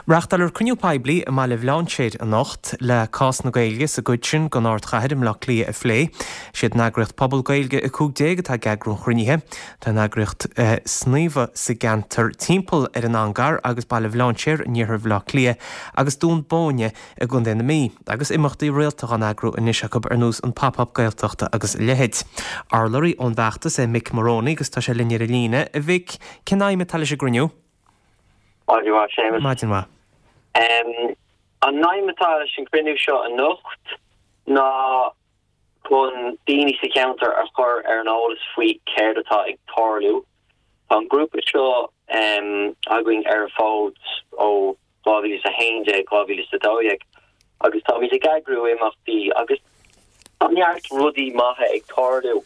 Reáchtáiltear cruinniú poiblí i mBaile Bhlainséir anocht le cás na Gaeilge sa gcuid sin den ardchathair i mBleá Cliath a phlé. Is iad an eagraíocht Pobal Gaeilge 15 atá ag eagrú an chruinnithe. Tá an eagraíocht ag sníomhadh sa gceantar timpeall ar an Angar agus Baile Bhlainséir in iarthar Bhaile Átha Cliath agus Dún Bóinne i gContae na Mí, agus imeachtaí rialta á n-eagrú anois acu ar nós an Pop Up Gaeltacht agus a leithéid. Urlabhraí ón bhfeachtas é Mick Moroney agus tá sé linn ar an líne. A Mhic, cén aidhm atá leis an gcruinniú? Maidin mhaith, Séamus. Maidin mhaith. An aidhm atá leis an gcruinniú seo anocht ná chun daoine sa cheantar a chur ar an eolas faoi céard atá ag tarlú. Tá an grúpa seo againn ar an bhfód ó 2011, 2012 agus táimid ag eagrú imeachtaí agus tá neart rudaí maithe ag tarlú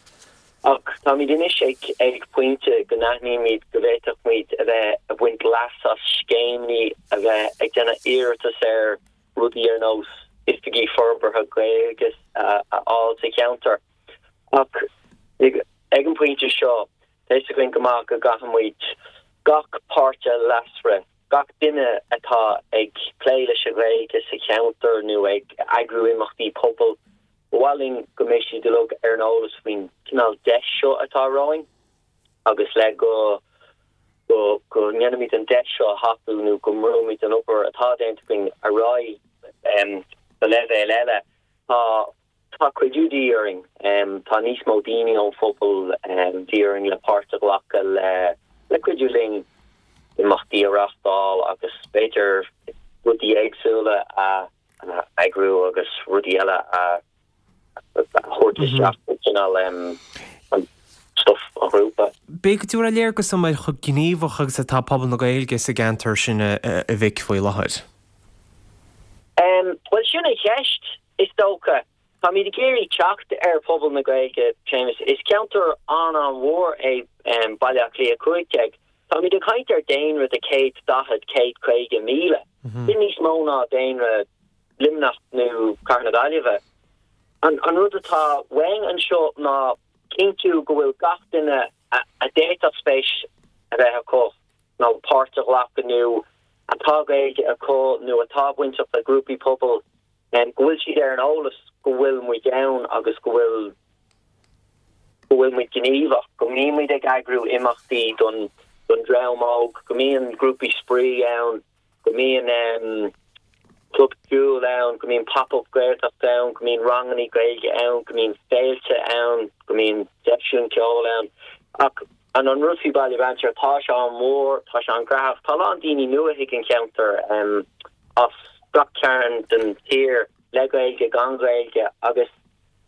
ach táimid anois ag ag pointe go n-aithnímid go bhféadfadh muid a bheith ag baint leas as scéimeanna, a bheith ag déanamh iarratas ar rudaí ar nós oifigí forbartha Gaeilge a fháil sa cheantar. Ach ag an bpointe seo, tá fhios againn go maith go gcaithfidh muid gach páirtí leasmhara, gach duine atá ag plé leis an Ghaeilge sa cheantar nó ag eagrú imeachtaí pobail, ba mhaith linn go mbeidh siad uilig ar an eolas faoin cineál deis seo atá romhainn agus le go go go ndéanfaimid an deis seo a thapú nó go mbrúimid an obair atá déanta againn ar aghaidh go leibhéal eile. Tá Tá cuidiú de dhíth orainn. Tá níos mó daoine ón phobal de dhíth orainn le páirt a ghlacadh le cuidiú linn imeachtaí a reáchtáil agus b'fhéidir rudaí éagsúla a eagrú agus rudaí eile a thabhairt isteach i gcineál an stuif an ghrúpa. B'fhéidir go dtabharfá léargas dom ar chomh gníomhach agus atá pobal na Gaeilge sa gceantar sin a Mhic faoi láthair. Bhuel sin an cheist. Is dócha. Táimid ag iarraidh teacht ar phobal na Gaeilge, Séamus. Is ceantar an-an-mhór é Baile Átha Cliath 15. Táimid ag caint ar daonra de 140, 150,000. Sin níos mó ná daonra Luimneach nó Cathair na Gaillimhe. An rud atá uainn anseo ná cinntiú go bhfuil gach duine a d'fhéadfadh spéis a bheith acu nó páirt a ghlacadh nó atá Gaeilge acu nó atá bainteach le grúpaí pobail go bhfuil siad ar an eolas go bhfuil muid ann agus go bhfuil go bhfuil muid gníomhach, go mbíonn muid ag eagrú imeachtaí don don dream óg, go mbíonn grúpaí spraoi ann, go mbíonn club ceoil ann, go mbíonn pop-up Gaeltacht ann, go mbíonn rangannaí Gaeilge ann, go mbíonn féilte ann, go mbíonn seisiúin ceoil ann. Ach an an rud faoi Baile Bhlainséir, tá sé an-mhór, tá sé an-ghnóthach, tá a lán daoine nua chuig an cheantar. as gach cearn den tír, le Gaeilge, gan Ghaeilge, agus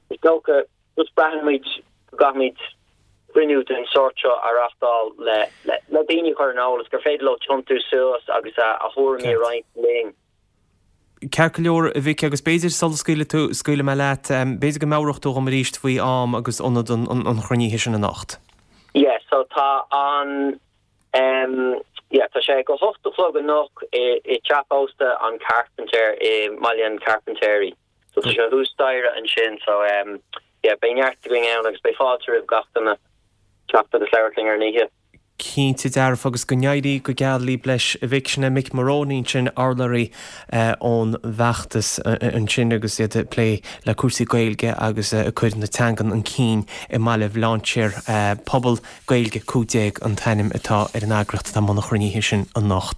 is dócha just braitheann muid go gcaithfimid cruinniú den sórt seo a reáchtáil le le daoine a chur ar an eolas gur féidir leo tiontú suas agus a thuairimí a roinnt linn. Ceart go leor, a Mhic, agus b'fhéidir sula scaoilfidh tú, scaoilfidh mé leat, b'fhéidir go meabhródh tú dhom arís faoi am agus ionad an chruinnithe sin anocht. Yeah, so tá an Em, yeah, tá sé ag a hocht a chlog anocht i, i teach ósta an Carpenter i mBaile an Chairpintéirí. So tá sé thuas staighre ansin, so em, yeah, beidh neart againn ann agus beidh fáilte roimh gach duine teacht agus labhairt linn ar an oíche. Cinnte dearfa agus go n-éirí go geal libh leis a Mhic. Sin é Mick Moroney ansin, urlabhraí ón bhfeachtas ansin agus iad ag plé le cúrsaí Gaeilge agus ag cur na teangan chun cinn i mBaile Bhlainséir. Pobal Gaeilge 15 an t-ainm atá ar an eagraíocht atá i mbun an chruinnithe sin anocht.